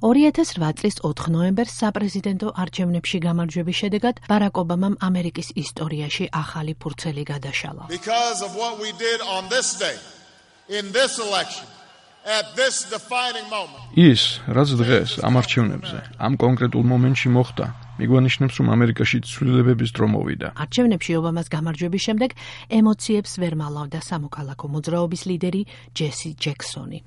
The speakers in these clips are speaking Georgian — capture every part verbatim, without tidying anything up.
ორი ათას რვა წლის ოთხ ნოემბერს საპრეზიდენტო არჩევნებში გამარჯვების შედეგად ბარაკ ობამამ ამერიკის ისტორიაში ახალი ფურცელი გადაშალა. Because of what we did on this day, in this election, at this defining moment. ის, რაც დღეს ამ არჩევნებზე, ამ კონკრეტულ მომენტში მოხდა, მიგვანიშნებს, რომ ამერიკაში ცვლილებების დრო მოვიდა. არჩევნებში ობამას გამარჯვების შემდეგ ემოციებს ვერ მალავდა სამოქალაქო მოძრაობის ლიდერი ჯესი ჯექსონი.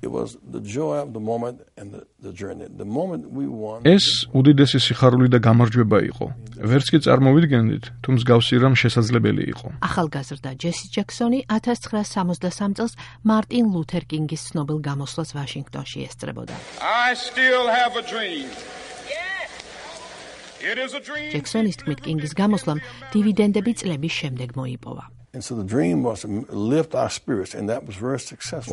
ეს უდიდესი სიხარული და გამარჯვება იყო. ვერც კი წარმოვიდგენდით, თუ მსგავსი რამ შესაძლებელი იყო. ახალგაზრდა ჯესი ჯექსონი ათას ცხრაასი სამოცდასამ წელს მარტინ ლუთერ კინგის ცნობილ გამოსვლას ვაშინგტონში ესწრებოდა. I still have a dream. ჯექსონის თქმით, კინგის გამოსვლამ დივიდენდები წლების შემდეგ მოიპოვა.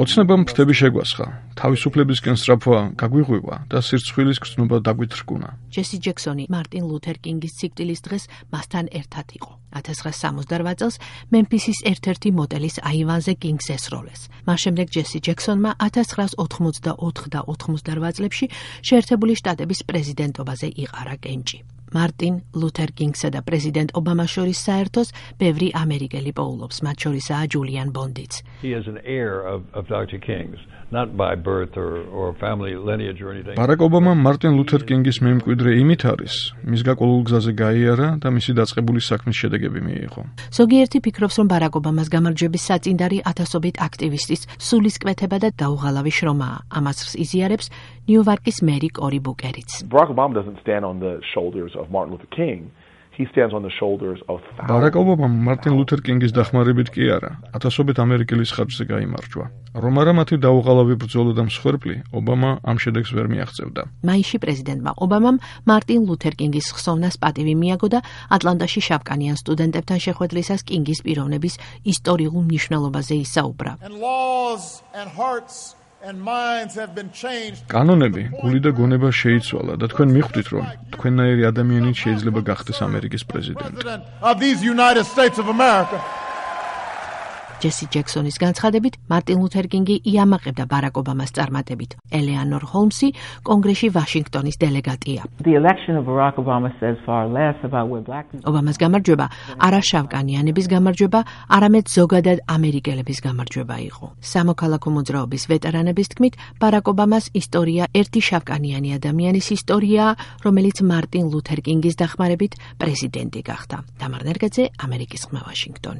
ოცნებამ ფრთები შეგვასხა, თავისუფლებისკენ სწრაფვა გაგვიღვივა და სირცხვილის გრძნობა დაგვიტრკუნა. ჯესი ჯექსონი მარტინ ლუთერ კინგის სიკვდილის დღეს მასთან ერთად იყო. ათას ცხრაასი სამოცდარვა წელს მემფისის ერთ-ერთი მოტელის აივანზე კინგს ესროლეს. მას შემდეგ ჯესი ჯექსონმა ათას ცხრაასი ოთხმოცდაოთხ და ოთხმოცდარვა წლებში შეერთებული შტატების პრეზიდენტობაზე იყარა კენჭი. მარტინ ლუთერ კინგსა და პრეზიდენტ ობამას შორის საერთოს ბევრი ამერიკელი პოულობს, მათ შორისაა ჯულიან ბონდიც. ბარაკ ობამა მარტინ ლუთერ კინგის მემკვიდრე იმით არის, მის გაყოლულ გზაზე გაიარა და მისი დაწყებული საქმის შედეგები მიიღო. ზოგიერთი ფიქრობს, რომ ბარაკ ობამას გამარჯვების საწინდარი ათასობით აქტივისტის სულისკვეთება და დაუღალავი შრომაა. ამას იზიარებს ნიუ-იორკის მერი კორი ბუკერიც. Barack Obama doesn't stand on the shoulders of Martin Luther King. He stands on the shoulders of ბარაკ ობამამ მარტინ ლუთერ კინგის დახმარებით კი არა, ათასობით ამერიკელის ხარჯზე გაიმარჯვა. რომ არა მათი დაუღალავი ბრძოლა და მსხვერპლი, ობამა ამ შედეგს ვერ მიაღწევდა. მაისში პრეზიდენტმა ობამამ მარტინ ლუთერ კინგის ხსოვნას პატივი მიაგო და ატლანტაში შავკანიან სტუდენტებთან შეხვედრისას კინგის პიროვნების ისტორიულ მნიშვნელობაზე ისაუბრა. კანონები, გული და გონება შეიცვალა და თქვენ მიხვდით, რომ თქვენნაირი ადამიანით შეიძლება გახდეს ამერიკის პრეზიდენტი. ჯესი ჯექსონის განცხადებით, მარტინ ლუთერ კინგი იამაყებდა ბარაკ ობამას წარმატებით. ელეანორ ჰოლმსი კონგრესში ვაშინგტონის დელეგატია. ობამას გამარჯვება არა შავკანიანების გამარჯვება, არამედ ზოგადად ამერიკელების გამარჯვება იყო. სამოქალაქო მოძრაობის ვეტერანების თქმით, ბარაკ ობამას ისტორია ერთი შავკანიანი ადამიანის ისტორიაა, რომელიც მარტინ ლუთერ კინგის დახმარებით პრეზიდენტი გახდა. დამარ ნერგაძე, ამერიკის ხმა, ვაშინგტონი.